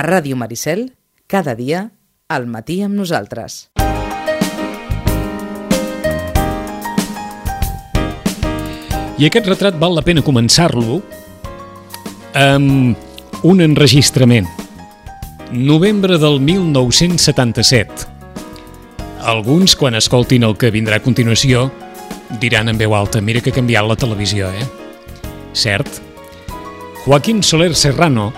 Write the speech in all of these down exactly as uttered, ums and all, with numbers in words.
A Ràdio Maricel, cada dia, al matí amb nosaltres. I aquest retrat val la pena començar-lo amb un enregistrament. Novembre del mil nou-cents setanta-set. Alguns, quan escoltin el que vindrà a continuació, diran en veu alta: mira que ha canviat la televisió, eh? Cert? Joaquín Soler Serrano,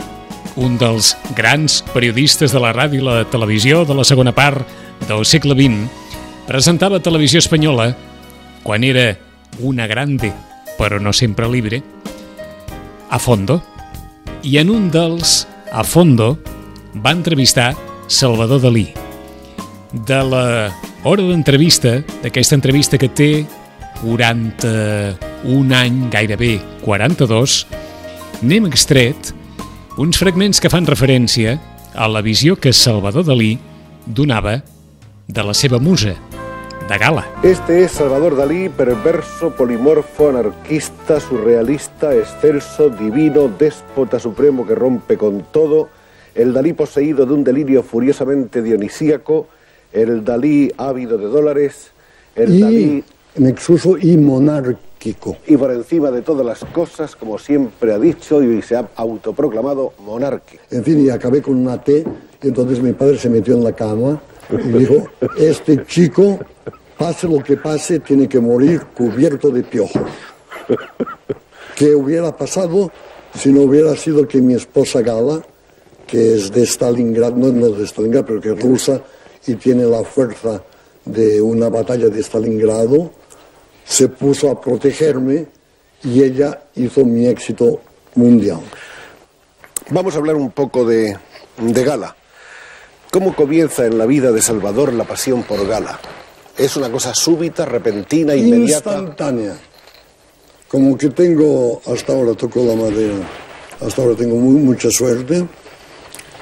un dels grans periodistes de la ràdio i la televisió de la segona part del segle vint, presentava Televisió Espanyola quan era una grande, però no sempre libre, A Fondo, i en un dels A Fondo va entrevistar Salvador Dalí. De la hora d'entrevista, d'aquesta entrevista que té quaranta-un any, gairebé quaranta-dos, n'hem extret uns fragments que fan referència a la visió que Salvador Dalí donava de la seva musa, de Gala. Este es Salvador Dalí, perverso, polimorfo, anarquista, surrealista, excelso, divino, déspota supremo que rompe con todo, el Dalí poseído de un delirio furiosamente dionisíaco, el Dalí ávido de dólares, el y Dalí nexuso y monárquico. Y por encima de todas las cosas, como siempre ha dicho y se ha autoproclamado, monárquico. En fin, y acabé con una T, y entonces mi padre se metió en la cama y dijo: este chico, pase lo que pase, tiene que morir cubierto de piojos. ¿Qué hubiera pasado si no hubiera sido que mi esposa Gala, que es de Stalingrado, no, no de Stalingrado, pero que es rusa y tiene la fuerza de una batalla de Stalingrado, se puso a protegerme y ella hizo mi éxito mundial? Vamos a hablar un poco de, de Gala. ¿Cómo comienza en la vida de Salvador la pasión por Gala? ¿Es una cosa súbita, repentina, inmediata? Instantánea. Como que tengo, hasta ahora toco la madera, hasta ahora tengo muy, mucha suerte.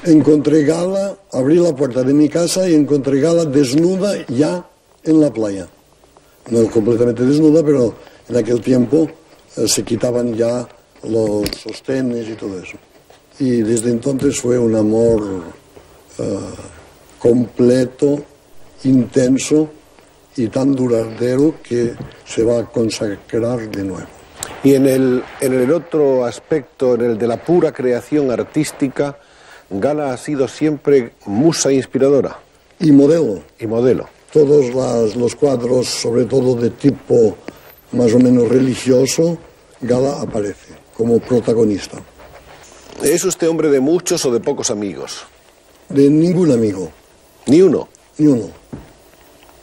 Encontré Gala, abrí la puerta de mi casa y encontré Gala desnuda ya en la playa. No completamente desnuda, pero en aquel tiempo eh, se quitaban ya los sostenes y todo eso. Y desde entonces fue un amor eh, completo, intenso y tan duradero que se va a consagrar de nuevo. Y en el, en el otro aspecto, en el de la pura creación artística, Gala ha sido siempre musa inspiradora. Y modelo. Y modelo. Todos las, los cuadros, sobre todo de tipo más o menos religioso, Gala aparece como protagonista. ¿Es usted hombre de muchos o de pocos amigos? De ningún amigo. ¿Ni uno? Ni uno.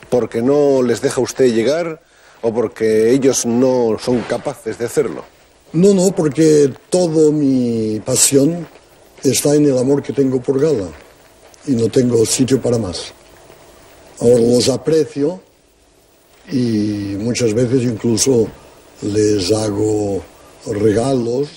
¿Porque no les deja usted llegar o porque ellos no son capaces de hacerlo? No, no, porque toda mi pasión está en el amor que tengo por Gala y no tengo sitio para más. Ahora los aprecio y muchas veces incluso les hago regalos,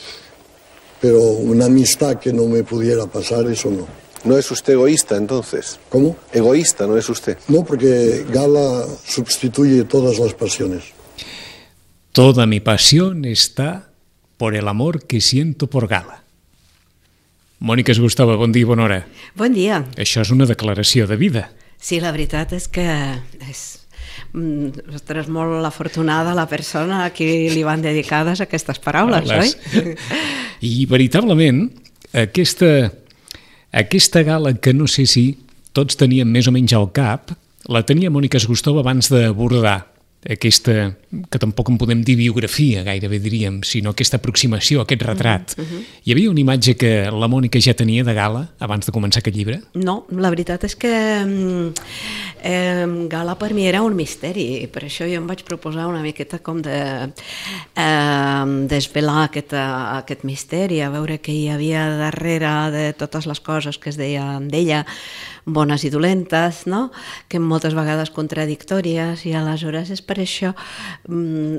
pero una amistad que no me pudiera pasar, eso no. ¿No es usted egoísta entonces? ¿Cómo? Egoísta, ¿no es usted? No, porque Gala sustituye todas las pasiones. Toda mi pasión está por el amor que siento por Gala. Mònica Esgustova, bon dia i bona hora. Bon dia. Això és una declaració de vida. Sí, la veritat és que és, ostres, molt afortunada la persona a qui li van dedicades aquestes paraules, Les... oi? I veritablement, aquesta, aquesta Gala que no sé si tots teníem més o menys al cap, la tenia Mònica Esgustova abans d'abordar aquesta, que tampoc en podem dir biografia, gairebé diríem, sinó aquesta aproximació, aquest retrat. Uh -huh. Hi havia una imatge que la Mònica ja tenia de Gala abans de començar aquest llibre? No, la veritat és que eh, Gala per mi era un misteri, per això jo em vaig proposar una miqueta com de eh, desvelar aquest, aquest misteri, a veure què hi havia darrere de totes les coses que es deien d'ella, bones i dolentes, no? Que moltes vegades contradictòries, i aleshores és per això,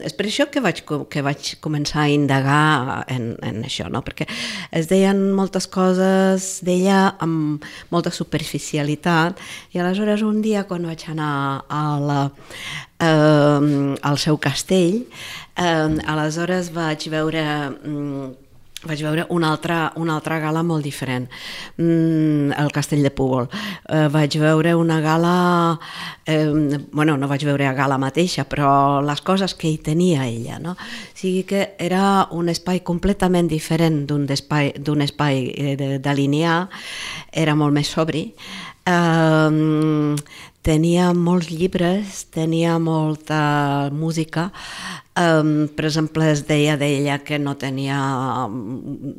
és per això que vaig, que vaig començar a indagar en, en això, no? Perquè es deien moltes coses d'ella amb molta superficialitat, i aleshores un dia quan vaig anar a la, eh, al seu castell, eh, aleshores vaig veure vaig veure una altra, una altra gala molt diferent, mm, el Castell de Púbol. Eh, vaig veure una gala, eh, bueno, no vaig veure a gala mateixa, però les coses que hi tenia ella, no? O sigui que era un espai completament diferent d'un espai, d'un espai de, de linear, era molt més sobri, eh, tenia molts llibres, tenia molta música. Um, per exemple, es deia d'ella que no tenia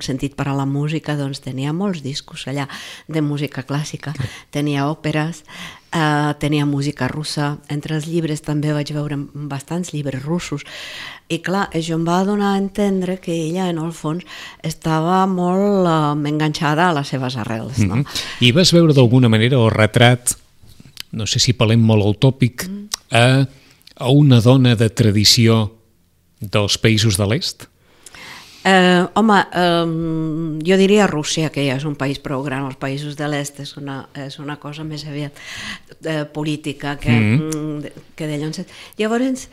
sentit per a la música, doncs tenia molts discos allà de música clàssica, tenia òperes, uh, tenia música russa. Entre els llibres també vaig veure bastants llibres russos, i clar, això em va donar a entendre que ella, en el fons, estava molt uh, enganxada a les seves arrels, no? Mm-hmm. I vas veure d'alguna manera el retrat, no sé si parlem molt al tòpic, a, a una dona de tradició dels països de l'est? Eh, home, eh, jo diria Rússia, que ja és un país prou gran. Els països de l'est és una, és una cosa més aviat eh, política que, mm-hmm. que de llavors. Llavors,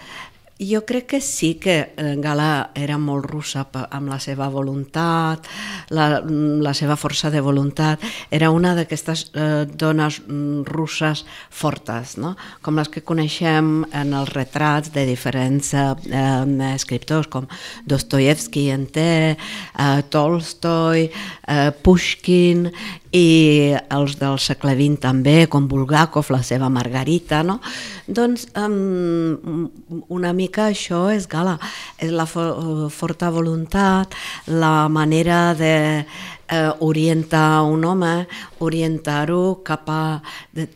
jo crec que sí que Gala era molt russa amb la seva voluntat, la, la seva força de voluntat. Era una d'aquestes eh, dones russes fortes, no? Com les que coneixem en els retrats de diferents eh, eh, escriptors, com Dostoyevsky en té, eh, Tolstoi, eh, Pushkin, i els del segle vint també, com Bulgakov, la seva Margarita, no? Doncs um, una mica això és Gala, és la for forta voluntat, la manera de eh, orientar un home, orientar-ho cap a,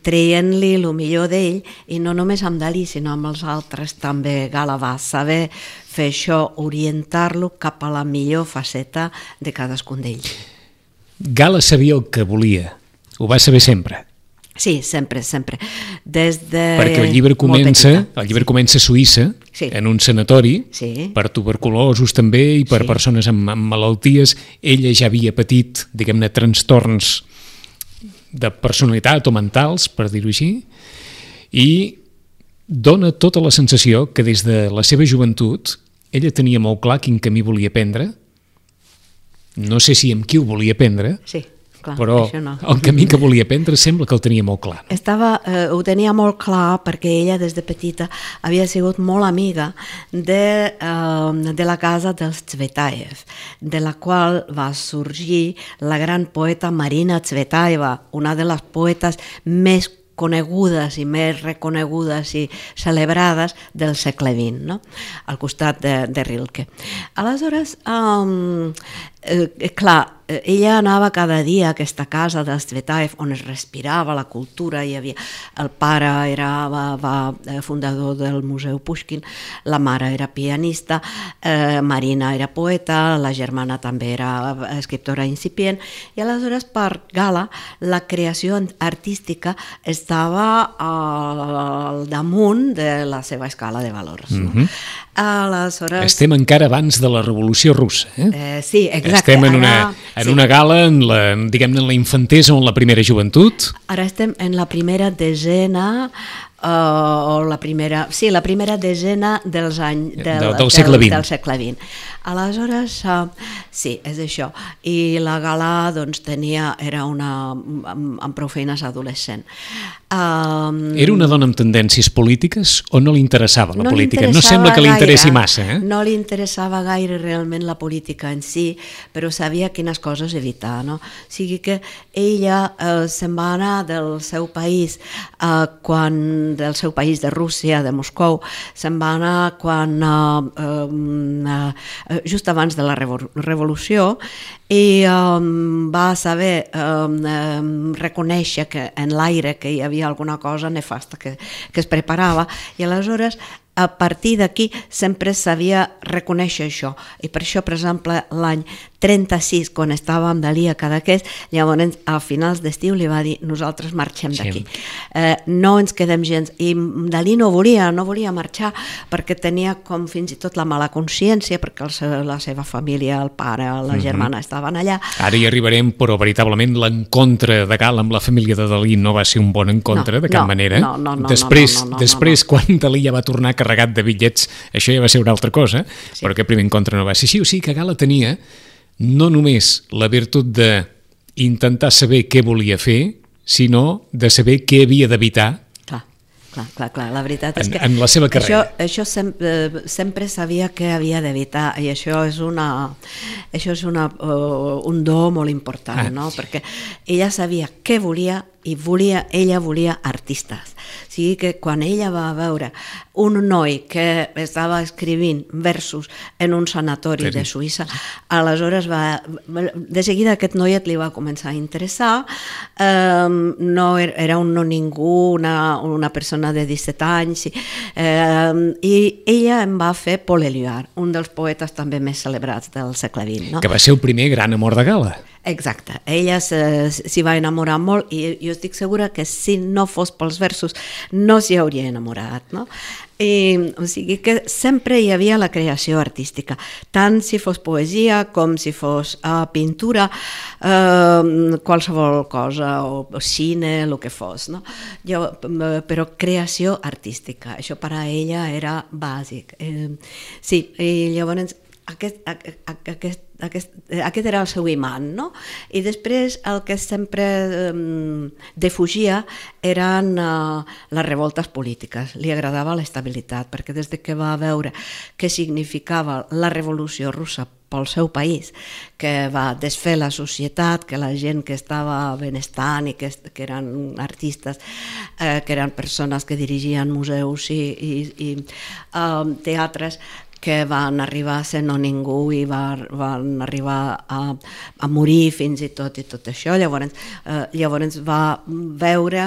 traient-li el millor d'ell, i no només amb Dalí, sinó amb els altres també. Gala va saber fer això, orientar-lo cap a la millor faceta de cadascun d'ells. Gala sabia el que volia, ho va saber sempre. Sí, sempre, sempre. Des de Perquè el llibre comença, el llibre sí. comença a Suïssa, sí. en un sanatori, sí. per tuberculosos també i per sí. persones amb, amb malalties. Ella ja havia patit, diguem-ne, trastorns de personalitat o mentals, per dir-ho així, i dona tota la sensació que des de la seva joventut ella tenia molt clar quin camí volia prendre. No sé si amb qui ho volia prendre, sí, clar, però no. el camí que volia prendre sembla que el tenia molt clar. Estava, eh, ho tenia molt clar perquè ella des de petita havia sigut molt amiga de, eh, de la casa dels Tsvetaev, de la qual va sorgir la gran poeta Marina Tsvetaeva, una de les poetes més conegudes i més reconegudes i celebrades del segle vint, no? Al costat de, de Rilke. Aleshores, um, eh, clar, ella anava cada dia a aquesta casa dels Tsvetaev on es respirava la cultura. Hi havia, el pare era va, va, fundador del Museu Pushkin, la mare era pianista, eh, Marina era poeta, la germana també era escriptora incipient, i aleshores per Gala la creació artística estava al damunt de la seva escala de valors. No? Mm-hmm. Aleshores... Estem encara abans de la Revolució Russa. Eh? Eh, sí, exacte. Estem en una, en sí. una gala, en la, diguem-ne, en la infantesa o en la primera joventut. Ara estem en la primera desena, uh, o la primera, sí, la primera desena dels anys del, del, del, segle vint. del, del segle vint. Aleshores, uh, sí, és això. I la gala, doncs, tenia, era una, amb, amb prou feines adolescent. Um, Era una dona amb tendències polítiques o no li interessava la no política? No sembla que li interessi massa. Eh? No li interessava gaire realment la política en si, però sabia quines coses evitar. No? O sigui que ella eh, se'n va anar del seu país, eh, quan, del seu país de Rússia, de Moscou, se'n va anar quan, eh, eh, just abans de la revolució, i um, va saber um, um, reconèixer que en l'aire que hi havia alguna cosa nefasta que, que es preparava, i aleshores a partir d'aquí sempre sabia reconèixer això, i per això, per exemple, l'any trenta-sis, quan estava amb Dalí a Cadaqués, llavors a finals d'estiu li va dir: nosaltres marxem d'aquí, sí. eh, no ens quedem gens. I Dalí no volia, no volia marxar perquè tenia com fins i tot la mala consciència, perquè el, la seva família, el pare, la uh-huh. germana estaven allà. Ara hi arribarem, però veritablement l'encontre de Gala amb la família de Dalí no va ser un bon encontre, no, de cap no, manera. No, no, no, després, no, no, no, després no, no. quan Dalí ja va tornar carregat de bitllets, això ja va ser una altra cosa, sí. però aquest primer encontre no va ser així. O sigui que Gala tenia no només la virtut d'intentar saber què volia fer, sinó de saber què havia d'evitar Clar, clar, clar, la veritat és en, que en la seva carrera. Això, això sempre, sempre sabia que havia d'evitar i això és, una, això és una, uh, un do molt important, ah. no? Perquè ella sabia què volia i volia, ella volia artistes. O sigui que quan ella va veure un noi que estava escrivint versos en un sanatori de Suïssa, aleshores va, de seguida aquest noiet li va començar a interessar, um, no era un no ningú, una, una persona de disset anys, um, i ella em va fer Paul Éluard, un dels poetes també més celebrats del segle vint. No? Que va ser el primer gran amor de Gala. Exacte, ella s'hi va enamorar molt i jo estic segura que si no fos pels versos no s'hi hauria enamorat, no? I, o sigui que sempre hi havia la creació artística, tant si fos poesia com si fos uh, pintura, uh, qualsevol cosa, o, o cine, el que fos, no? Jo, però creació artística, això per a ella era bàsic. Eh, sí, i llavors aquest, aquest Aquest, aquest era el seu imant, no? I després el que sempre um, defugia eren uh, les revoltes polítiques. Li agradava l'estabilitat, perquè des que va veure què significava la revolució russa pel seu país, que va desfer la societat, que la gent que estava benestant i que, que eren artistes, eh, que eren persones que dirigien museus i, i, i uh, teatres, que van arribar a ser no ningú i va, van arribar a, a morir fins i tot i tot això. Llavors, eh, llavors va veure,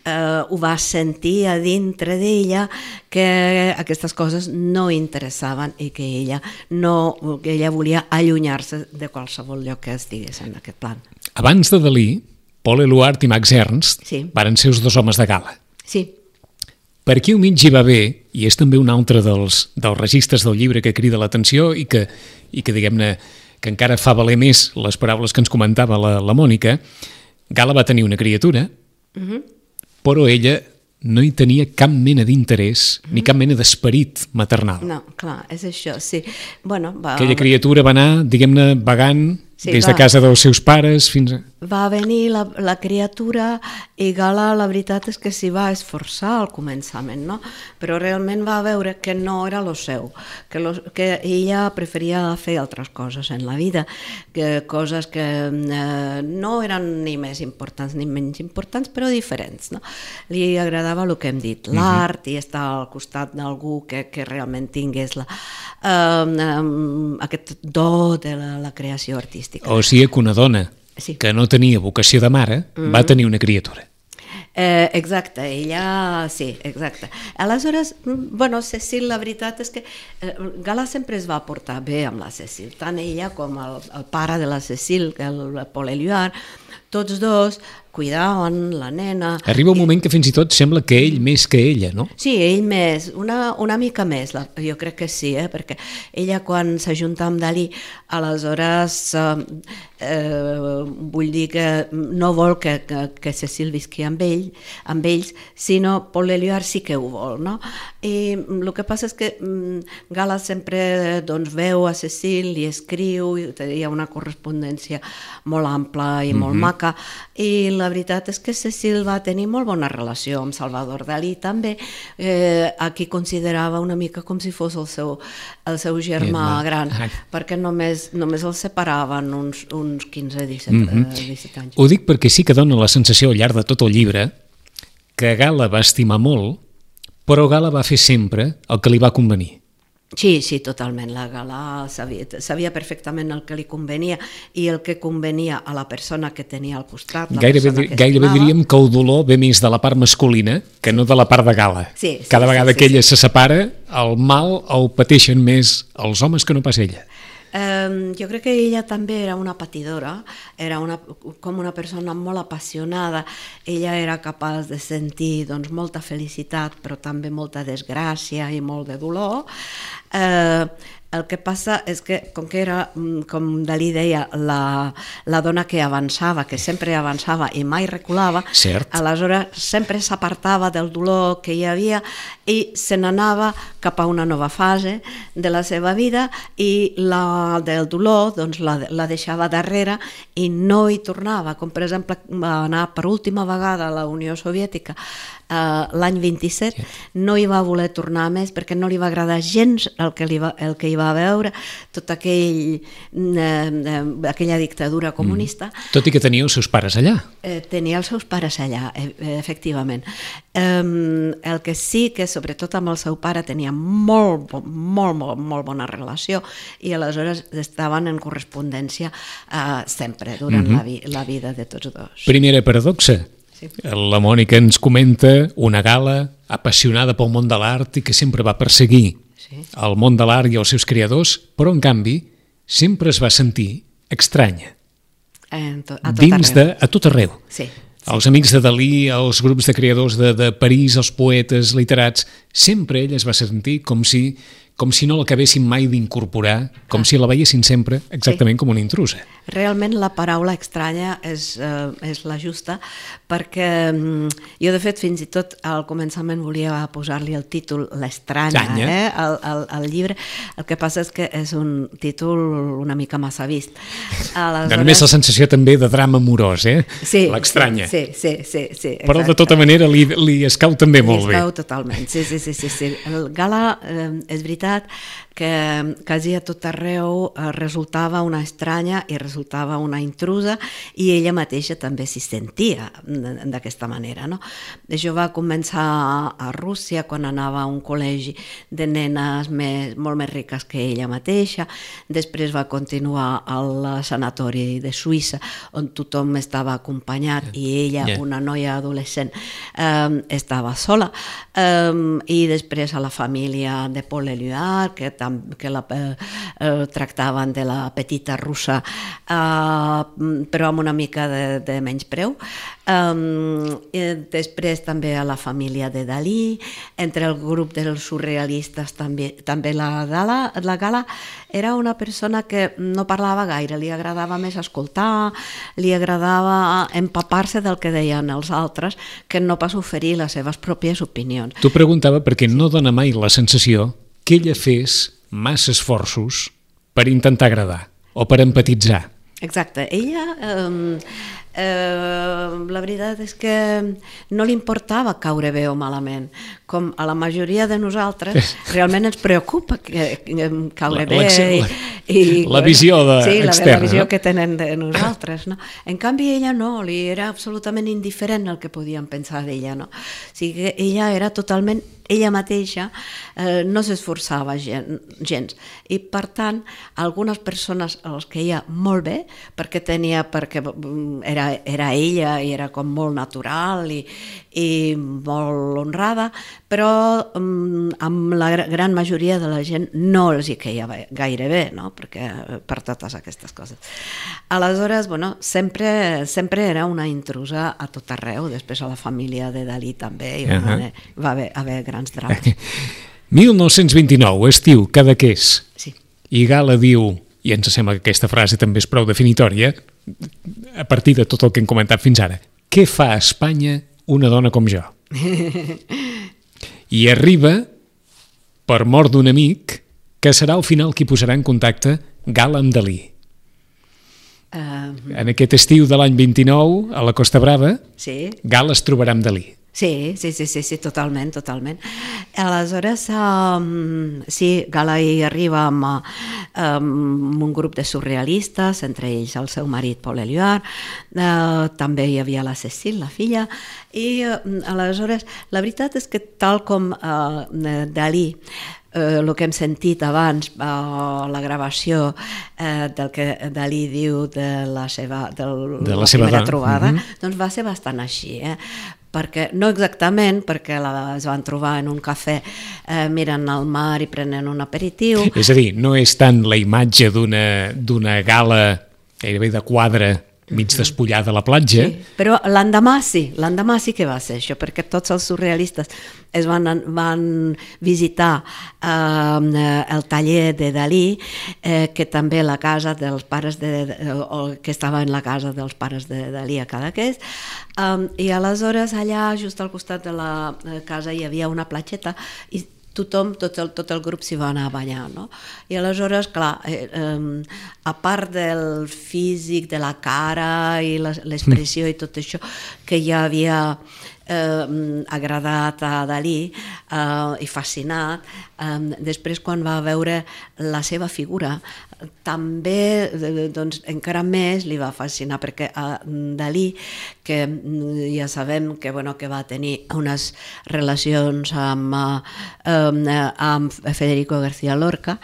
eh, ho va sentir a dintre d'ella que aquestes coses no interessaven i que ella, no, que ella volia allunyar-se de qualsevol lloc que estigués en aquest plan. Abans de Dalí, Paul Éluard i Max Ernst sí. Varen ser els dos homes de Gala. Sí. Per aquí al mig hi va haver, i és també un altre dels, dels registres del llibre que crida l'atenció i que, i que diguem-ne, que encara fa valer més les paraules que ens comentava la, la Mònica, Gala va tenir una criatura, uh-huh. però ella no hi tenia cap mena d'interès uh-huh. ni cap mena d'esperit maternal. No, clar, és això, sí. Bueno, va... Aquella criatura va anar, diguem-ne, vagant sí, des va... de casa dels seus pares fins a... Va venir la, la criatura i Gala la veritat és que s'hi va esforçar al començament, no? Però realment va veure que no era lo seu, que, lo, que ella preferia fer altres coses en la vida, que coses que eh, no eren ni més importants ni menys importants, però diferents, no? Li agradava el que hem dit, l'art, mm-hmm. i estar al costat d'algú que, que realment tingués la, eh, eh, aquest do de la, la creació artística. O sigui que una dona sí. que no tenia vocació de mare, mm-hmm. va tenir una criatura. Eh, exacte, ella, sí, exacte. Aleshores, bueno, Cecil, la veritat és que eh, Gala sempre es va portar bé amb la Cecil, tant ella com el, el pare de la Cecil, que el Paul Éluard, tots dos cuidaven la nena. Arriba un moment que fins i tot sembla que ell més que ella, no? Sí, ell més, una, una mica més, la, jo crec que sí, eh? Perquè ella quan s'ajunta amb Dalí, aleshores eh, eh, vull dir que no vol que, que, que Cecil visqui amb ell, amb ells, sinó Paul Éluard sí que ho vol, no? I el que passa és que mm, Gala sempre doncs, veu a Cecil, li escriu, hi ha una correspondència molt ampla i molt mm-hmm. maca, i la veritat és que Cecil va tenir molt bona relació amb Salvador Dalí també, eh, a qui considerava una mica com si fos el seu, el seu germà Germà. gran, ah. perquè només, només els separaven uns, uns quinze a disset, mm-hmm. eh, disset anys. Ho dic perquè sí que dona la sensació al llarg de tot el llibre que Gala va estimar molt, però Gala va fer sempre el que li va convenir. Sí, sí, totalment. La Gala sabia, sabia perfectament el que li convenia i el que convenia a la persona que tenia al costat. Gairebé, gairebé diríem que el dolor ve més de la part masculina que no de la part de Gala. Sí, sí, Cada vegada sí, que sí, ella sí. se separa, el mal el pateixen més els homes que no pas ella. Um, jo crec que ella també era una patidora, era una, com una persona molt apassionada, ella era capaç de sentir doncs, molta felicitat però també molta desgràcia i molt de dolor, Eh, el que passa és que, com que era, com Dalí deia, la, la dona que avançava, que sempre avançava i mai reculava, Cert. aleshores sempre s'apartava del dolor que hi havia i se n'anava cap a una nova fase de la seva vida i la del dolor doncs, la, la deixava darrere i no hi tornava, com per exemple va anar per última vegada a la Unió Soviètica Uh, l'any vint-i-set, sí. No hi va voler tornar més perquè no li va agradar gens el que, li va, el que hi va veure, tot aquell, eh, aquella dictadura comunista. Mm. Tot i que tenia els seus pares allà. Eh, tenia els seus pares allà, eh, efectivament. Eh, el que sí que, sobretot amb el seu pare, tenia molt, molt, molt, molt bona relació i aleshores estaven en correspondència eh, sempre, durant mm-hmm. la, vi la vida de tots dos. Primera paradoxa. Sí. La Mònica ens comenta una gala apassionada pel món de l'art i que sempre va perseguir sí. el món de l'art i els seus creadors, però en canvi sempre es va sentir estranya. To a tot dins arreu. de, a tot arreu. Sí. Sí. Els amics de Dalí, els grups de creadors de, de París, els poetes literats, sempre ell es va sentir com si, com si no l'acabessin mai d'incorporar, com ah. si la veiessin sempre exactament sí. com una intrusa. Realment la paraula estranya és, eh, és la justa, perquè mm, jo de fet fins i tot al començament volia posar-li el títol L'estranya eh, al, al, al llibre, el que passa és que és un títol una mica massa vist. Aleshores... Dona més la sensació també de drama amorós, eh? Sí, l'estranya. Sí, sí, sí, sí, però de tota manera li, li escau també molt bé. Li escau totalment, sí, sí, sí, sí, sí. El Gala eh, és veritat que quasi a tot arreu eh, resultava una estranya i resultava una intrusa i ella mateixa també s'hi sentia d'aquesta manera, no? Això va començar a Rússia quan anava a un col·legi de nenes més, molt més riques que ella mateixa, després va continuar al sanatori de Suïssa on tothom estava acompanyat yeah. i ella, yeah. una noia adolescent, eh, estava sola eh, i després a la família de Paul Éluard, que que la eh, tractaven de la petita russa eh, però amb una mica de, de menyspreu. Eh, després també a la família de Dalí, entre el grup dels surrealistes també, també la Gala, la Gala era una persona que no parlava gaire, li agradava més escoltar, li agradava empapar-se del que deien els altres que no pas oferir les seves pròpies opinions. T'ho preguntava perquè no dona mai la sensació que ella fes massa esforços per intentar agradar o per empatitzar. Exacte. Ella, eh, eh, la veritat és que no li importava caure bé o malament. Com a la majoria de nosaltres, realment ens preocupa que, que caure bé. I, i, la visió de, sí, externa. La visió no? que tenen de nosaltres. No? En canvi, ella no, li era absolutament indiferent el que podien pensar d'ella. No? O sigui, ella era totalment ella mateixa, eh, no s'esforçava gen, gens i per tant algunes persones els queia molt bé perquè tenia, perquè era, era ella i era com molt natural i, i molt honrada, però um, amb la gran majoria de la gent no els hi queia gaire bé, no? Perquè per totes aquestes coses. Aleshores, bueno, sempre, sempre era una intrusa a tot arreu, després a la família de Dalí també i uh -huh. va haver, haver grans drames. mil nou-cents vint-i-nou, estiu, Cadaqués. Sí. I Gala diu, i ens sembla que aquesta frase també és prou definitòria, a partir de tot el que hem comentat fins ara, què fa a Espanya una dona com jo? I arriba, per mort d'un amic, que serà al final qui posarà en contacte Gala amb Dalí. Uh... En aquest estiu de l'any vint-i-nou, a la Costa Brava, sí. Gala es trobarà amb Dalí. Sí, sí, sí, sí, sí, totalment, totalment. Aleshores, um, sí, Gala hi arriba amb, amb un grup de surrealistes, entre ells el seu marit Paul Éluard, uh, també hi havia la Cécile, la filla, i uh, aleshores, la veritat és que tal com uh, Dalí, el uh, que hem sentit abans, uh, la gravació uh, del que Dalí diu de la seva, del, de la, la seva primera trobada, mm -hmm. doncs va ser bastant així, eh? Perquè, no exactament, perquè la, es van trobar en un cafè eh, mirant al mar i prenent un aperitiu. És a dir, no és tant la imatge d'una d'una gala gairebé de quadre mig despullada a la platja. Sí, però l'endemà sí, l'endemà sí que va ser això, perquè tots els surrealistes es van, van visitar eh, el taller de Dalí, eh, que també la casa dels pares de, o que estava en la casa dels pares de Dalí a Cadaqués, eh, i aleshores allà just al costat de la casa hi havia una platgeta i tothom, tot el, tot el grup s'hi va anar a ballar, no? I aleshores, clar, eh, eh, a part del físic, de la cara i l'expressió i tot això que ja havia eh, agradat a Dalí eh, i fascinat, eh, després quan va veure la seva figura també doncs, encara més li va fascinar, perquè a Dalí, que ja sabem que, bueno, que va tenir unes relacions amb, eh, amb Federico García Lorca,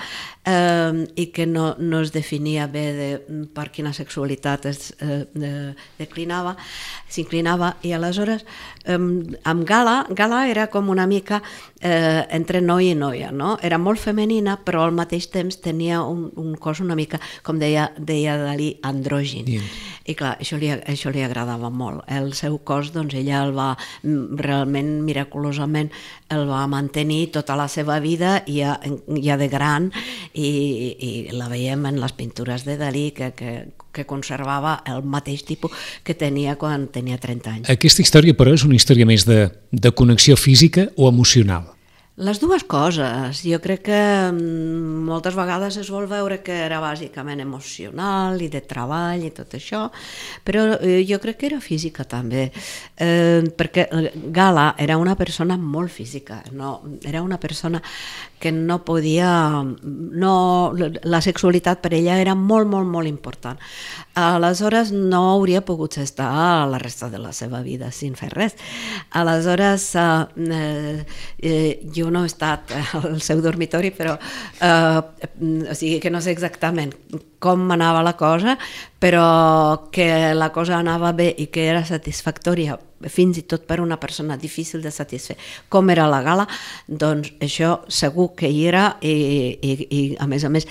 eh, i que no, no es definia bé de per quina sexualitat es eh, de, declinava, s'inclinava, i aleshores eh, amb Gala, Gala era com una mica eh, entre noi i noia, no? Era molt femenina, però al mateix temps tenia un, un cos una mica, com deia, deia Dalí, andrògin. Yeah. I clar, això li, això li agradava molt. El seu cos, doncs ella el va, realment, miraculosament, el va mantenir tota la seva vida, ja, ja de gran, i, i la veiem en les pintures de Dalí, que, que, que conservava el mateix tipus que tenia quan tenia trenta anys. Aquesta història, però, és una història més de, de connexió física o emocional? Les dues coses. Jo crec que moltes vegades es vol veure que era bàsicament emocional i de treball i tot això, però jo crec que era física també, eh, perquè Gala era una persona molt física, no? Era una persona que no podia... No, la sexualitat per ella era molt, molt, molt important. Aleshores no hauria pogut estar la resta de la seva vida sin fer res. Aleshores eh, eh, jo no he estat al seu dormitori, però eh, o sigui que no sé exactament com anava la cosa, però que la cosa anava bé i que era satisfactòria fins i tot per una persona difícil de satisfer com era la Gala, doncs això segur que hi era, i, i, i a més a més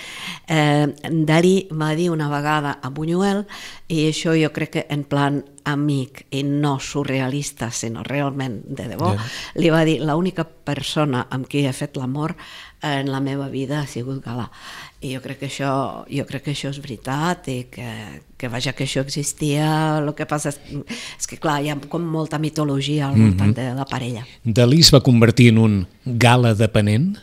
eh, Dalí va dir una vegada a Buñuel, i això jo crec que en plan amic i no surrealista, sinó realment de debò, yeah. Li va dir: l'única persona amb qui he fet l'amor en la meva vida ha sigut Gala. I jo crec que això, jo crec que això és veritat, i que, que vaja, que això existia. El que passa és, és que clar, hi ha com molta mitologia al voltant mm-hmm. de la parella. Dalí es va convertir en un Gala dependent?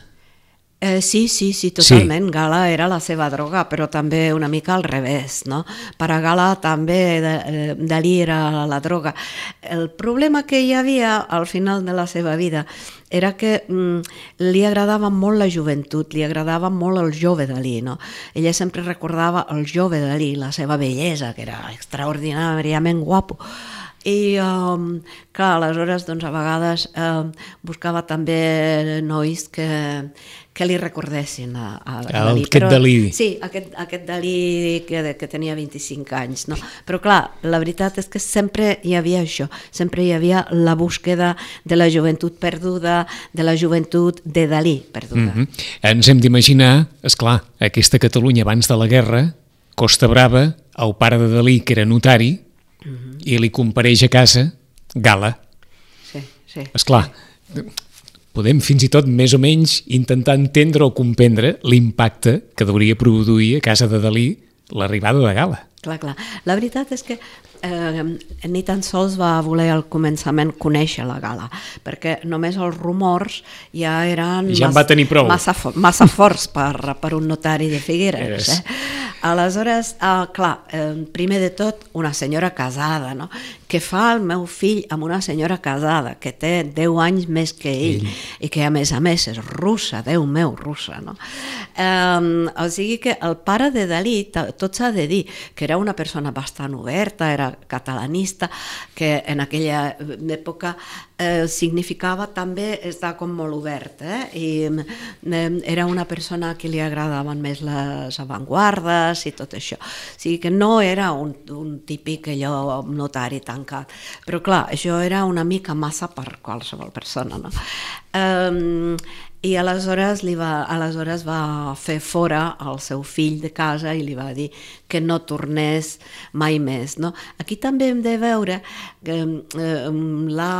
Eh, sí, sí, sí, totalment. Sí. Gala era la seva droga, però també una mica al revés, no? Per a Gala també de, eh, Dalí era la droga. El problema que hi havia al final de la seva vida era que mm, li agradava molt la joventut, li agradava molt el jove Dalí, no? Ella sempre recordava el jove Dalí, la seva bellesa, que era extraordinàriament guapo. I um, clar, aleshores doncs, a vegades eh, buscava també nois que, que li recordessin a, a Dalí. Aquest però, Dalí. Sí, aquest, aquest Dalí que, que tenia vint-i-cinc anys. No? Però clar, la veritat és que sempre hi havia això, sempre hi havia la búsqueda de la joventut perduda, de la joventut de Dalí perduda. Mm-hmm. Ens hem d'imaginar, esclar, aquesta Catalunya abans de la guerra, Costa Brava, el pare de Dalí, que era notari, uh-huh. i li compareix a casa Gala. Sí, sí. Esclar, podem fins i tot més o menys intentar entendre o comprendre l'impacte que hauria produir a casa de Dalí l'arribada de Gala. Clar, clar. La veritat és que eh, ni tan sols va voler al començament conèixer la Gala, perquè només els rumors ja eren ja massa, massa, massa forts per, per un notari de Figueres. Yes. Eh? Aleshores, eh, clar, eh, primer de tot, una senyora casada, no? Què fa el meu fill amb una senyora casada que té deu anys més que ell, ell. I que a més a més és russa, Déu meu, russa, no? Eh, o sigui que el pare de Dalí, tot s'ha de dir, que era una persona bastant oberta, era catalanista, que en aquella època eh, significava també estar com molt obert, eh? I eh, era una persona a qui li agradaven més les avantguardes i tot això. O sigui que no era un, un típic allò notari tancat, però clar, això era una mica massa per qualsevol persona, no? Um, i aleshores, li va, aleshores va fer fora el seu fill de casa i li va dir que no tornés mai més. No? Aquí també hem de veure que, eh, la,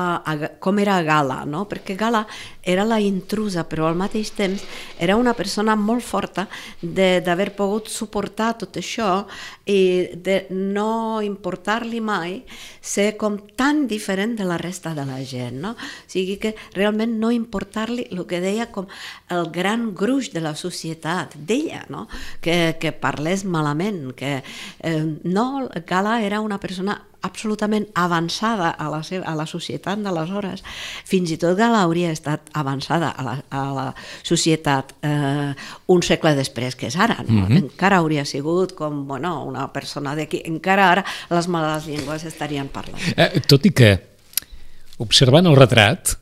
com era Gala, no? Perquè Gala era la intrusa, però al mateix temps era una persona molt forta d'haver pogut suportar tot això i de no importar-li mai ser com tan diferent de la resta de la gent. No? O sigui que realment no importar-li el que deia com el gran gruix de la societat, d'ella, no? que, que parlés malament, que eh, no, Gala era una persona absolutament avançada a la, seva, a la societat d'aleshores. Fins i tot Gala hauria estat avançada a la, a la societat eh, un segle després que és ara. No? Mm-hmm. Encara hauria sigut com bueno, una persona d'aquí. Encara ara les males llengües estarien parlant. Eh, tot i que, observant el retrat,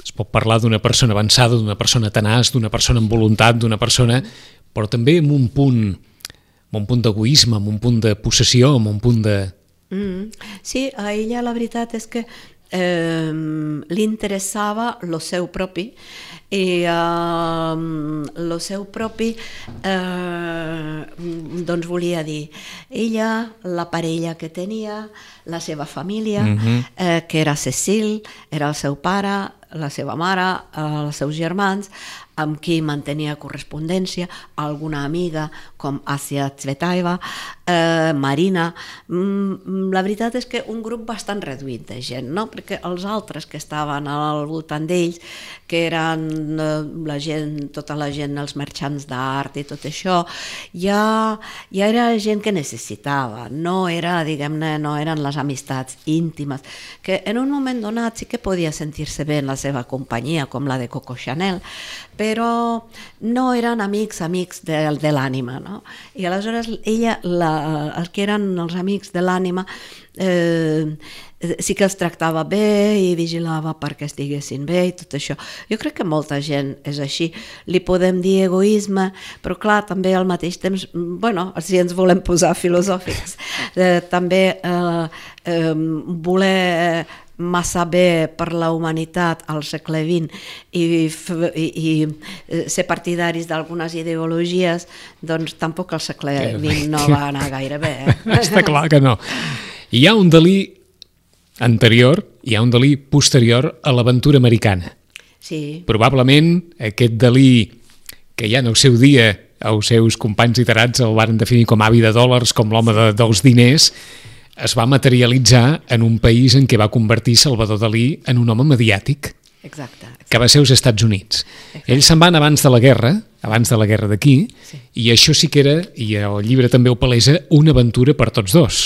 es pot parlar d'una persona avançada, d'una persona tenaç, d'una persona amb voluntat, d'una persona, però també amb un punt, amb un punt d'egoisme, amb un punt de possessió, amb un punt de... Mm. Sí, a ella la veritat és que eh, li interessava lo seu propi i eh, lo seu propi eh, doncs volia dir ella, la parella que tenia, la seva família, mm-hmm. eh, que era Cecil, era el seu pare, la seva mare, els seus germans, amb qui mantenia correspondència, alguna amiga com Asia Tsvetaeva, eh, Marina. Mm, la veritat és que un grup bastant reduït de gent, no? Perquè els altres que estaven al voltant d'ells, que eren eh, la gent, tota la gent, els marxants d'art i tot això, ja, ja era gent que necessitava, no era, diguem-ne, no eren les amistats íntimes, que en un moment donat sí que podia sentir-se bé en la seva companyia, com la de Coco Chanel, però no eren amics, amics de, de l'ànima, no? I aleshores ella, la, els que eren els amics de l'ànima, eh, sí que els tractava bé i vigilava perquè estiguessin bé i tot això. Jo crec que molta gent és així. Li podem dir egoisme, però clar, també al mateix temps, bueno, si ens volem posar filosòfics, eh, també eh, eh, voler massa bé per la humanitat al segle vint i, i, i ser partidaris d'algunes ideologies, doncs tampoc al segle vint no va anar gaire bé. Eh? Està clar que no. Hi ha un Dalí anterior, hi ha un Dalí posterior a l'aventura americana. Sí. Probablement aquest Dalí, que ja en el seu dia els seus companys literats el van definir com avi de dòlars, com l'home de, dels diners, es va materialitzar en un país en què va convertir Salvador Dalí en un home mediàtic. Exacte. exacte. Que va ser als Estats Units. Exacte. Ells se'n van abans de la guerra, abans de la guerra d'aquí, sí. I això sí que era, i el llibre també ho palesa, una aventura per tots dos.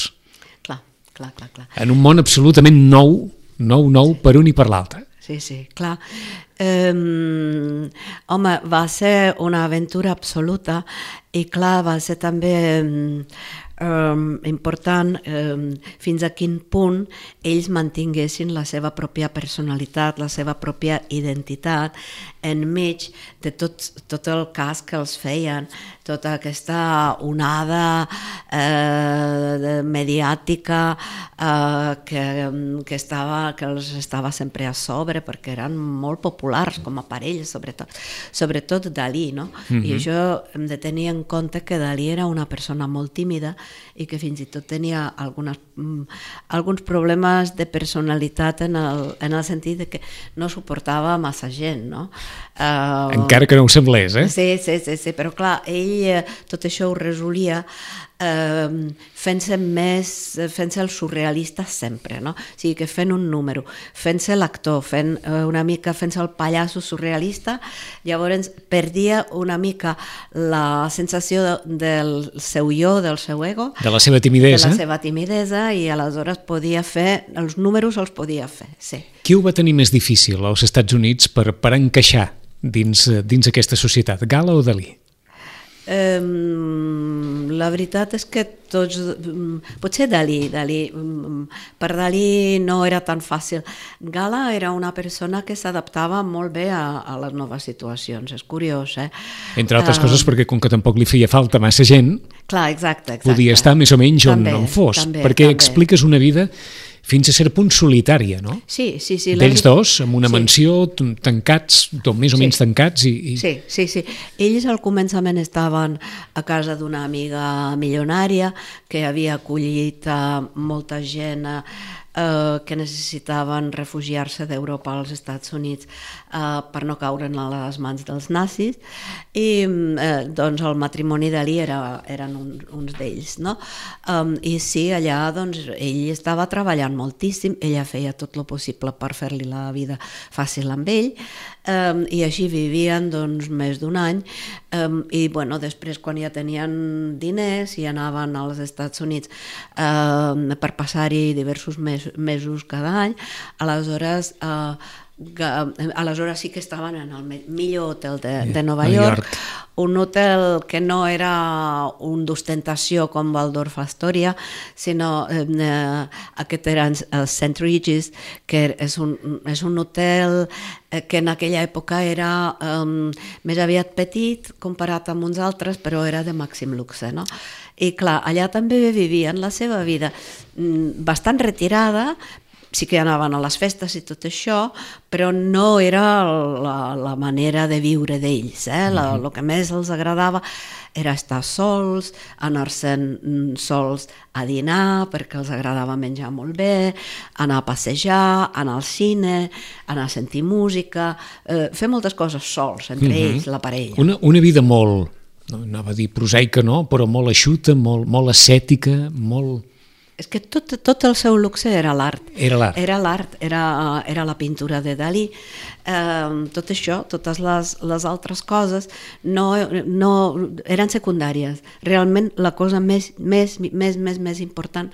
Clar, clar, clar. clar. En un món absolutament nou, nou, nou per un i per l'altre. Sí, sí, clar. Um, home, va ser una aventura absoluta i clar, va ser també um, um, important um, fins a quin punt ells mantinguessin la seva pròpia personalitat, la seva pròpia identitat enmig de tot, tot el cas que els feien, tota aquesta onada eh, mediàtica eh, que, que, estava, que els estava sempre a sobre perquè eren molt populars com a parella, sobretot, sobretot Dalí, no? Mm-hmm. I això hem de tenir en compte que Dalí era una persona molt tímida i que fins i tot tenia algunes, alguns problemes de personalitat en el, en el sentit de que no suportava massa gent, no? Uh, Encara que no ho semblés, eh? Sí, sí, sí, sí, però clar, ell tot això ho resolia eh, fent-se més, fent-se el surrealista sempre, no? O sigui que fent un número, fent-se l'actor, fent eh, una mica, fent-se el pallasso surrealista, llavors perdia una mica la sensació de, del seu jo, del seu ego, de la seva timidesa, de la seva timidesa i aleshores podia fer, els números els podia fer, sí. Qui ho va tenir més difícil als Estats Units per, per encaixar dins, dins aquesta societat, Gala o Dalí? Um, la veritat és que tots, um, potser Dalí, Dalí um, per Dalí no era tan fàcil. Gala era una persona que s'adaptava molt bé a, a les noves situacions, és curiós, eh? Entre altres uh, coses perquè com que tampoc li feia falta massa gent, clar, exacte, exacte. Podia estar més o menys on, també, on fos, també, perquè també. expliques una vida fins a cert punt solitària, no? Sí, sí, sí. D'ells dos, en una sí. mansió, tancats, tot més o Sí. menys tancats. I, i... Sí, sí, sí. Ells al començament estaven a casa d'una amiga milionària que havia acollit a molta gent eh, que necessitaven refugiar-se d'Europa als Estats Units eh, per no caure a les mans dels nazis, i eh, doncs el matrimoni d'Ali era, eren un, uns d'ells, no? Um, I sí, allà doncs ell estava treballant moltíssim, ella feia tot el possible per fer-li la vida fàcil amb ell, um, i així vivien doncs més d'un any, um, i bueno, després quan ja tenien diners i anaven als Estats Units um, per passar-hi diversos mes, mesos cada any, aleshores uh, aleshores sí que estaven en el millor hotel de, de Nova York, York, un hotel que no era un d'ostentació com Waldorf Astoria, sinó eh, aquest era el Saint Regis, que és un, és un hotel que en aquella època era um, més aviat petit comparat amb uns altres, però era de màxim luxe, no? I clar, allà també vivien la seva vida bastant retirada, sí que anaven a les festes i tot això, però no era la, la manera de viure d'ells. Eh? La, el que més els agradava era estar sols, anar-se'n sols a dinar, perquè els agradava menjar molt bé, anar a passejar, anar al cine, anar a sentir música, eh, fer moltes coses sols, entre uh-huh. ells, la parella. Una, una vida molt, no anava a dir prosaica, no? Però molt eixuta, molt, molt ascètica, molt... És que tot, tot el seu luxe era l'art. Era l'art. Era l'art, era, era la pintura de Dalí. Eh, tot això, totes les, les altres coses no, no eren secundàries. Realment la cosa més, més, més, més, més important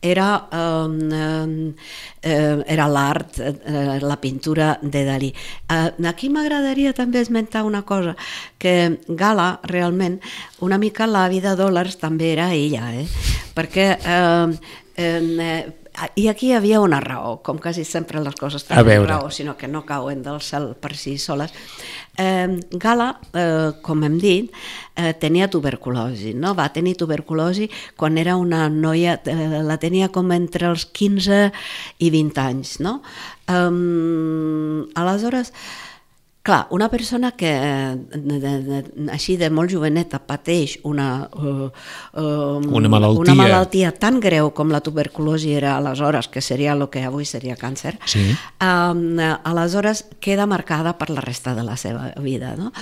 era, eh, eh, era l'art, eh, la pintura de Dalí. Eh, aquí m'agradaria també esmentar una cosa, que Gala realment, una mica la vida dòlars també era ella, eh? Perquè eh, eh, i aquí hi havia una raó, com quasi sempre les coses tenen raó, sinó que no cauen del cel per si soles. Eh, Gala, eh, com hem dit, eh, tenia tuberculosi, no? Va tenir tuberculosi quan era una noia, eh, la tenia com entre els quinze i vint anys, no? Eh, aleshores, clar, una persona que de, de, de, així de molt joveneta pateix una, uh, uh, una, malaltia. una malaltia tan greu com la tuberculosi era aleshores, que seria el que avui seria càncer, sí. um, aleshores queda marcada per la resta de la seva vida. No?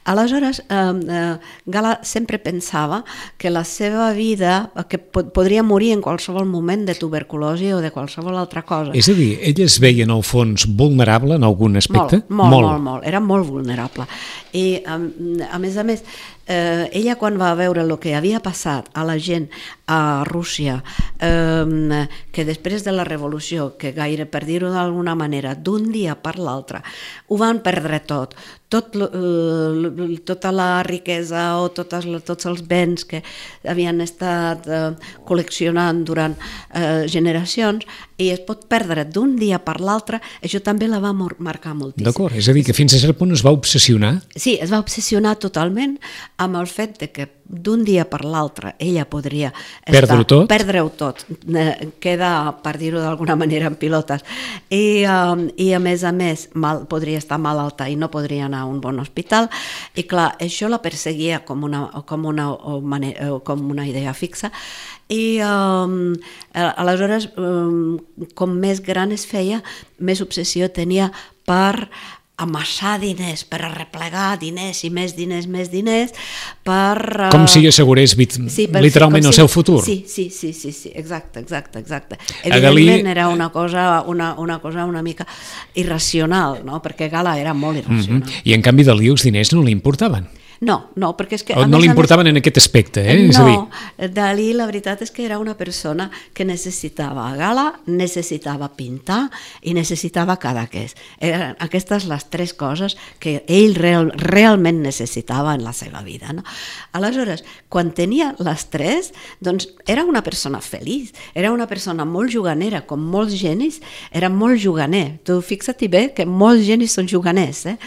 Aleshores, um, uh, Gala sempre pensava que la seva vida, que pod podria morir en qualsevol moment de tuberculosi o de qualsevol altra cosa. És a dir, ella es veia en el fons vulnerable en algun aspecte? Molt, molt, molt, molt. molt. Era molt vulnerable. I, a, a més a més, eh, ella quan va veure el que havia passat a la gent a Rússia, eh, que després de la revolució, que gaire, per dir-ho d'alguna manera, d'un dia per l'altre, ho van perdre tot, tot eh, tota la riquesa o totes, tots els béns que havien estat eh, col·leccionant durant eh, generacions, i es pot perdre d'un dia per l'altre, això també la va marcar moltíssim. D'acord, és a dir, que fins a cert punt es va obsessionar? Sí, es va obsessionar totalment amb el fet de que d'un dia per l'altre ella podria perdre-ho tot, perdre-ho tot, queda, per dir-ho d'alguna manera, en pilotes, i, um, i a més a més mal, podria estar malalta i no podria anar a un bon hospital, i clar, això la perseguia com una, com una, com una idea fixa, i um, aleshores um, com més gran es feia, més obsessió tenia per amassar diners, per arreplegar diners i més diners, més diners, per... Uh... Com si assegurés sí, per, literalment sí, el si... seu futur. Sí, sí, sí, sí, sí, exacte, exacte, exacte. Evidentment Galí... era una cosa, una, una cosa una mica irracional, no? Perquè Gala era molt irracional. Mm-hmm. I en canvi Dalí els diners no li importaven. No, no, perquè és que... O no li importaven en aquest aspecte, eh? No, és a dir... Dalí la veritat és que era una persona que necessitava Gala, necessitava pintar i necessitava Cadaqués. Eren aquestes les tres coses que ell real, realment necessitava en la seva vida. No? Aleshores, quan tenia les tres, doncs era una persona feliç, era una persona molt juganera, com molts genis, era molt juganer. Tu fixa't bé que molts genis són juganers. Eh?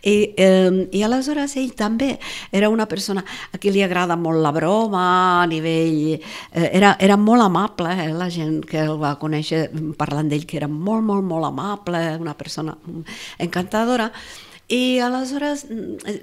I, eh, I aleshores ell també era una persona a qui li agrada molt la broma, a nivell... Eh, era, era molt amable, eh, la gent que el va conèixer parlant d'ell, que era molt, molt, molt amable, una persona encantadora. I aleshores,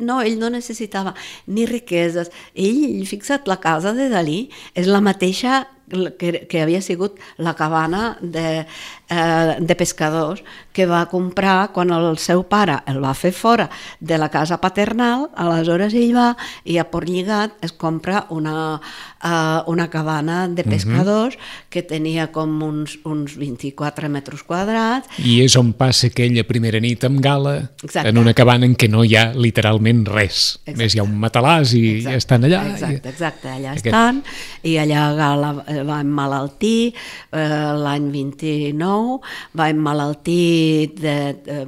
no, ell no necessitava ni riqueses. Ell, fixa't, la casa de Dalí és la mateixa que, que havia sigut la cabana de, eh, de pescadors que va comprar quan el seu pare el va fer fora de la casa paternal. Aleshores ell va i a Port Lligat es compra una, eh, una cabana de pescadors uh-huh. que tenia com uns, uns vint-i-quatre metres quadrats. I és on passa aquella primera nit amb Gala, exacte. En una cabana en què no hi ha literalment res. Exacte. Més hi ha un matalàs i exacte. Ja estan allà. Exacte, exacte, allà Aquest... estan, i allà Gala va emmalaltir eh, l'any vint-i-nou, va emmalaltir de, de,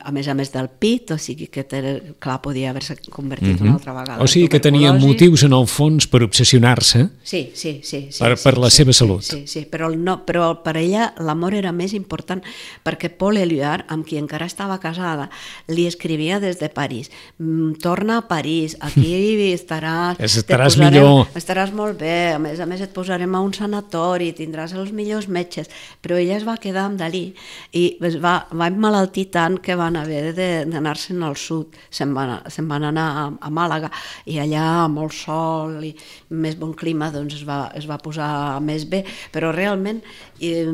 a més a més del pit, o sigui que té, clar, podia haver-se convertit mm-hmm. una altra vegada. O sigui que tenia motius en el fons per obsessionar-se sí, sí, sí, sí, per, sí, per la sí, seva sí, salut. Sí, sí, però, no, però per ella l'amor era més important perquè Paul Éluard, amb qui encara estava casada, li escrivia des de París: torna a París, aquí estaràs, estaràs posarem, millor, estaràs molt bé, a més a més et posarem a un sanatori, tindràs els millors metges. Però ella es va quedar amb Dalí i es va, va emmalaltir tant que van haver d'anar-se'n al sud, se'n van, se'n van anar a, a Màlaga, i allà amb molt sol i més bon clima doncs es va, es va posar més bé. Però realment eh,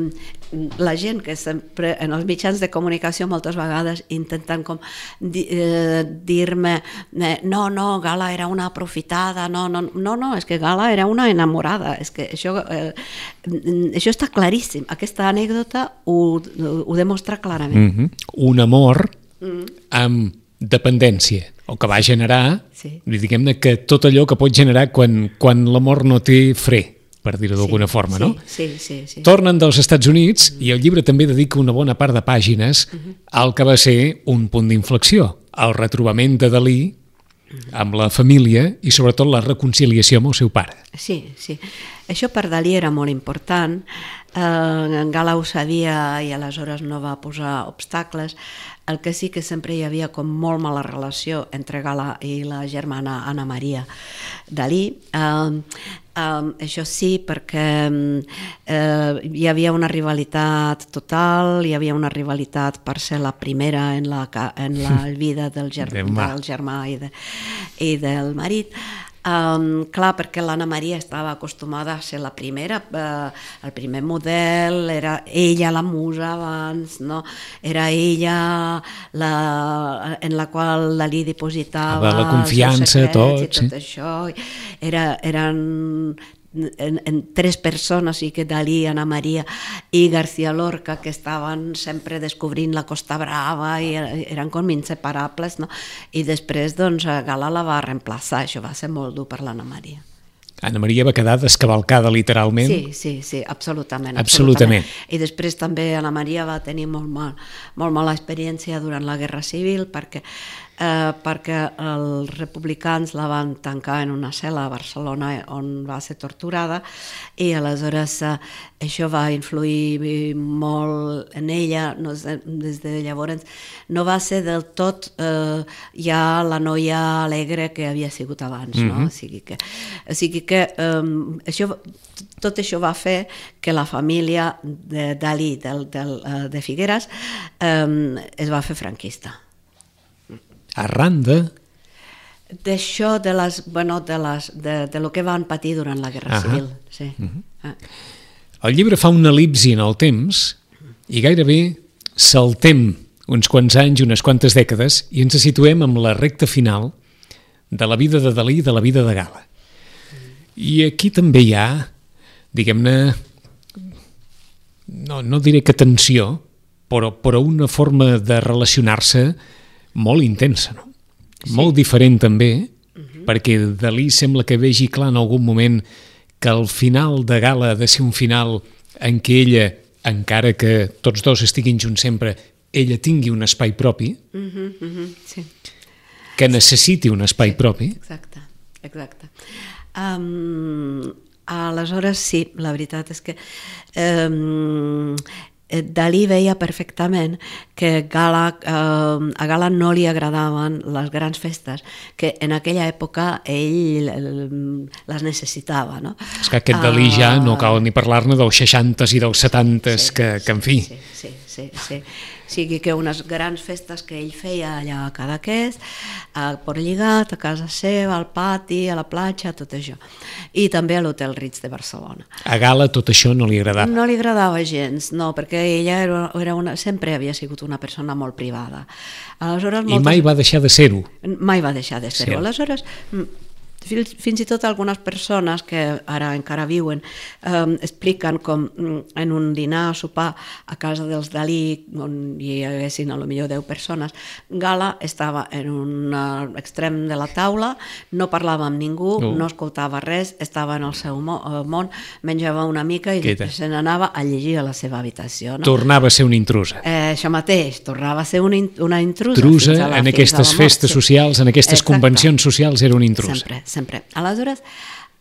la gent que sempre en els mitjans de comunicació moltes vegades intenten com di, eh, dir-me eh, no, no, Gala era una aprofitada, no, no, no, no, és que Gala era una enamorada, és que això, eh, això està claríssim, aquesta anècdota ho, ho demostra clarament. Mm-hmm. Un amor mm-hmm. amb dependència, o que va generar, sí. diguem-ne que tot allò que pot generar quan, quan l'amor no té fre, per dir-ho d'alguna sí, forma, sí, no? Sí, sí, sí. Tornen dels Estats Units mm-hmm. i el llibre també dedica una bona part de pàgines mm-hmm. al que va ser un punt d'inflexió, el retrobament de Dalí mm-hmm. amb la família i sobretot la reconciliació amb el seu pare. Sí, sí. Això per Dalí era molt important. Eh, Gala ho sabia i aleshores no va posar obstacles. El que sí que sempre hi havia com molt mala relació entre Gala i la germana Anna Maria Dalí. Eh, Um, això sí, perquè eh, hi havia una rivalitat total, hi havia una rivalitat per ser la primera en la, en la vida del, ger del germà i, de, i del marit. Um, clar, perquè l'Anna Maria estava acostumada a ser la primera, eh, el primer model, era ella la musa abans, no? Era ella la, en la qual Dalí dipositava la confiança, tot, i tot sí. Això. Era, eren en, en tres persones, i que Dalí, Anna Maria i García Lorca, que estaven sempre descobrint la Costa Brava i eren com inseparables, no? I després doncs Gala la va reemplaçar. Això va ser molt dur per l'Anna Maria. Anna Maria va quedar descavalcada literalment? Sí, sí, sí, absolutament, absolutament. absolutament. I després també Anna Maria va tenir molt, mal, molt mala experiència durant la Guerra Civil perquè, eh, perquè els republicans la van tancar en una cel·la a Barcelona on va ser torturada, i aleshores eh, això va influir molt en ella. No, des de llavors no va ser del tot eh, ja la noia alegre que havia sigut abans, no? Mm-hmm. O sigui que, o sigui que que um, això, tot això va fer que la família de Dalí del, del, uh, de Figueres um, es va fer franquista. Arran de... D'això, de, les, bueno, de, les, de, de lo que van patir durant la Guerra uh-huh. Civil. Sí. Uh-huh. Ah. El llibre fa una elipsi en el temps i gairebé saltem uns quants anys, unes quantes dècades, i ens situem amb la recta final de la vida de Dalí i de la vida de Gala. I aquí també hi ha, diguem-ne, no, no diré que tensió, però, però una forma de relacionar-se molt intensa, no? Sí. Molt diferent també, uh-huh. perquè Dalí sembla que vegi clar en algun moment que el final de Gala ha de ser un final en què ella, encara que tots dos estiguin junts sempre, ella tingui un espai propi, uh-huh, uh-huh, sí. que necessiti un espai sí, propi. Exacte, exacte. Um, aleshores sí, la veritat és que um, Dalí veia perfectament que Gala, eh, a Gala no li agradaven les grans festes, que en aquella època ell les necessitava. No? És que aquest Dalí ja no cal ni parlar-ne dels seixantes i dels setantes, sí, que, que en fi... Sí, sí, sí, sí. O sigui que unes grans festes que ell feia allà a Cadaqués, a Port Lligat, a casa seva, al pati, a la platja, tot això. I també a l'Hotel Ritz de Barcelona. A Gala tot això no li agradava? No li agradava gens, no, perquè ella era, era una, sempre havia sigut una persona molt privada. Aleshores, moltes... I mai va deixar de ser-ho? Mai va deixar de ser-ho. Sí. Aleshores... Fins, fins i tot algunes persones que ara encara viuen eh, expliquen com en un dinar o sopar a casa dels Dalí, on hi haguessin a lo millor deu persones, Gala estava en un extrem de la taula, no parlava amb ningú, uh. no escoltava res, estava en el seu món, menjava una mica i després se n'anava a llegir a la seva habitació. No? Tornava a ser una intrusa. Eh, això mateix, tornava a ser una, una intrusa. Intrusa la, en aquestes festes sí. socials, en aquestes Exacte. Convencions socials, era una intrusa. Sempre. Sempre. Aleshores,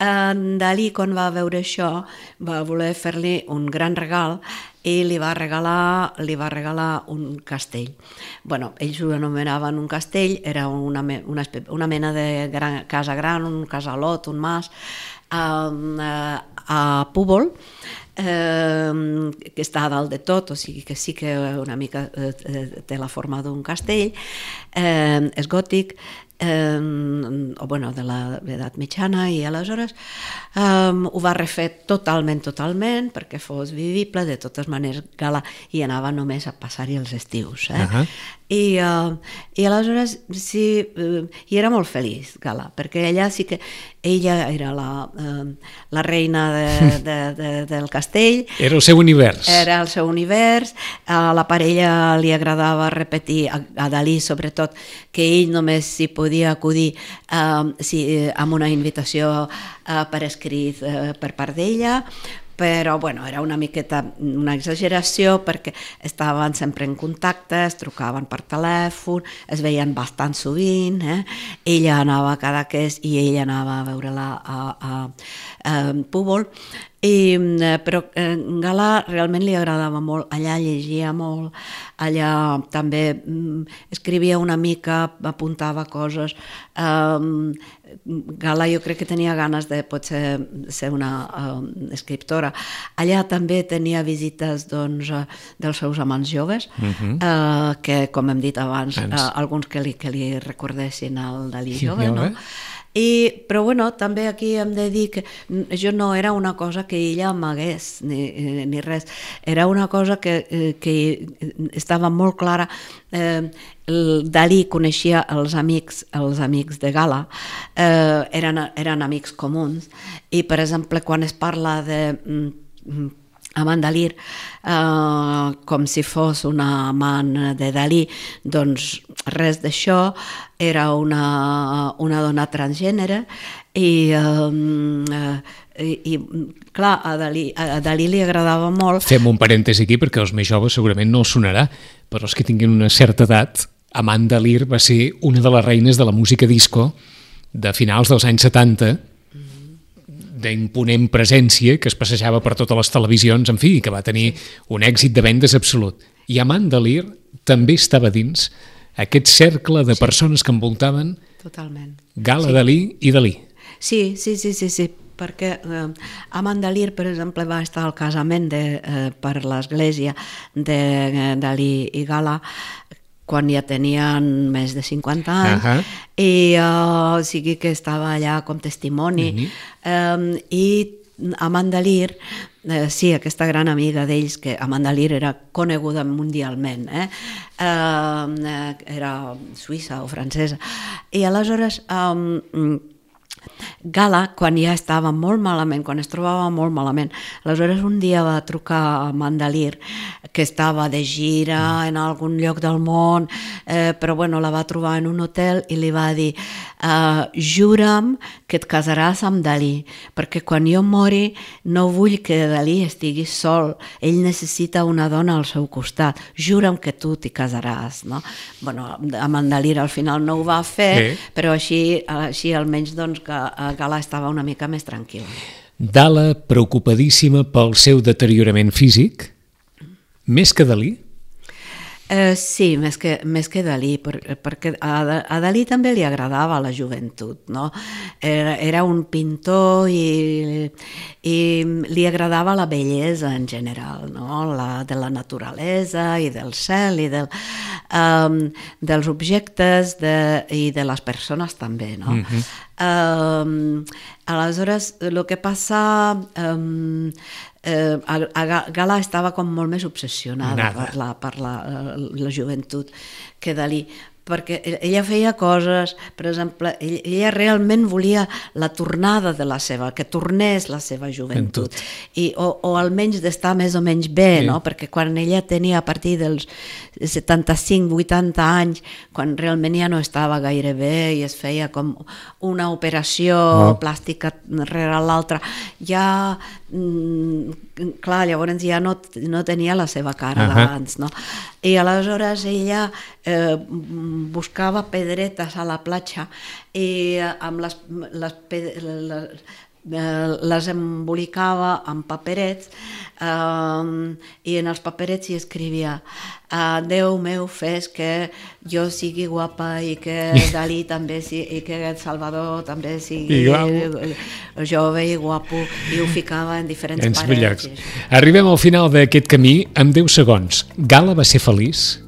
eh, Dalí, quan va veure això, va voler fer-li un gran regal i li va regalar, li va regalar un castell. Bueno, ells ho anomenaven un castell, era una, una, una mena de gran, casa gran, un casalot, un mas, eh, a Púbol, eh, que està a dalt de tot, o sigui que sí que una mica eh, té la forma d'un castell, eh, és gòtic, Eh, o bueno, de l'edat mitjana, i aleshores eh, ho va refer totalment, totalment, perquè fos vivible. De totes maneres, Gala hi anava només a passar-hi els estius. Eh? Uh-huh. I, uh, I aleshores sí, uh, i era molt feliç, Gala, perquè ella sí que ella era la, uh, la reina de, de, de, del castell. Era el seu univers. Era el seu univers. A la parella li agradava repetir, a, a Dalí sobretot, que ell només s'hi podia acudir uh, si, amb una invitació uh, per escrit uh, per part d'ella, però bueno, era una miqueta una exageració perquè estaven sempre en contacte, es trucaven per telèfon, es veien bastant sovint, eh? Ella anava a Cadaqués i ella anava a veure-la a, a, a Púbol, i, però eh, Gala realment li agradava molt, allà llegia molt, allà també mm, escrivia una mica, apuntava coses. Um, Gala jo crec que tenia ganes de potser ser una um, escriptora. Allà també tenia visites doncs, dels seus amants joves, uh-huh. uh, que com hem dit abans, uh, alguns que li, que li recordessin el Dalí jove, no? I, però bueno, també aquí hem de dir que això no era una cosa que ella amagués ni, ni res, era una cosa que, que estava molt clara. eh, el Dalí coneixia els amics, els amics de Gala, eh, eren, eren amics comuns, i per exemple quan es parla de mm, amant Dalí, eh, com si fos una amant de Dalí, doncs res d'això, era una, una dona transgènere, i, eh, i, i clar, a Dalí, a Dalí li agradava molt. Fem un parèntesi aquí perquè els més joves segurament no els sonarà, però els que tinguin una certa edat, Amant Dalí va ser una de les reines de la música disco de finals dels anys setanta, d'imponent presència, que es passejava per totes les televisions, en fi, que va tenir un èxit de vendes absolut. I Amant Dalí també estava dins aquest cercle de persones que envoltaven Totalment. Gala, Sí. Dalí i Dalí. Sí, sí, sí, sí, sí, perquè eh, Amant Dalí, per exemple, va estar al casament de, eh, per l'església de eh, Dalí i Gala quan ja tenien més de cinquanta anys, uh-huh. i uh, o sigui que estava allà com testimoni. Uh-huh. um, I Amant Dalí, eh, sí, aquesta gran amiga d'ells, que Amant Dalí era coneguda mundialment, eh? Uh, era suïssa o francesa, i aleshores um, Gala, quan ja estava molt malament, quan es trobava molt malament, aleshores un dia va trucar a Amant Dalí, que estava de gira en algun lloc del món, eh, però bueno, la va trobar en un hotel i li va dir uh, jura'm que et casaràs amb Dalí, perquè quan jo mori no vull que Dalí estigui sol, ell necessita una dona al seu costat, jura'm que tu t'hi casaràs, no? Bueno, Amant Dalí al final no ho va fer, sí. però així, així almenys doncs que Gala estava una mica més tranquil. Gala, preocupadíssima pel seu deteriorament físic, Més que Dalí? Eh, sí, més que, més que Dalí, per, perquè a, a Dalí també li agradava la joventut, no? Era, era un pintor i, i li agradava la bellesa en general, no? La, de la naturalesa i del cel i del, um, dels objectes de, i de les persones també, no? Mm-hmm. Um, aleshores, el que passa... Um, Eh, a, a Gala estava com molt més obsessionada Nada. per, la, per la, la joventut que Dalí, perquè ella feia coses, per exemple, ella realment volia la tornada de la seva, que tornés la seva joventut, I, o, o almenys d'estar més o menys bé, sí. no? Perquè quan ella tenia a partir dels setanta-cinc vuitanta anys, quan realment ja no estava gaire bé i es feia com una operació oh. plàstica rere l'altra, ja, mm, clar, llavors ja no, no tenia la seva cara uh-huh. d'abans, no? I aleshores ella eh, buscava pedretes a la platja i amb les, les, les, les embolicava amb paperets eh, i en els paperets hi escrivia Uh, Déu meu, fes que jo sigui guapa i que Dalí també sigui, i que Salvador també sigui jove i guapo, i ho ficava en diferents parets. Arribem al final d'aquest camí amb deu segons. Gala va ser feliç?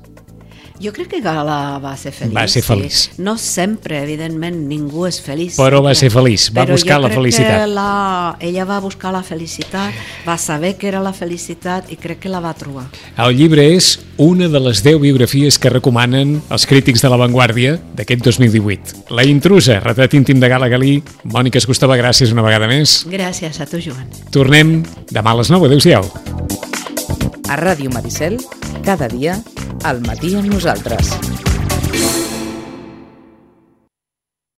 Jo crec que Gala va ser feliç. Va ser feliç. Sí. No sempre, evidentment, ningú és feliç. Però va ser feliç, va Però buscar la felicitat. Però jo crec que la... ella va buscar la felicitat, va saber que era la felicitat i crec que la va trobar. El llibre és una de les deu biografies que recomanen els crítics de La Vanguardia d'aquest dos mil divuit. La intrusa, retrat íntim de Gala Galí. Mònica Escostova, gràcies una vegada més. Gràcies a tu, Joan. Tornem demà a les nou. Adéu-siau. A Ràdio Maricel, cada dia, al matí amb nosaltres.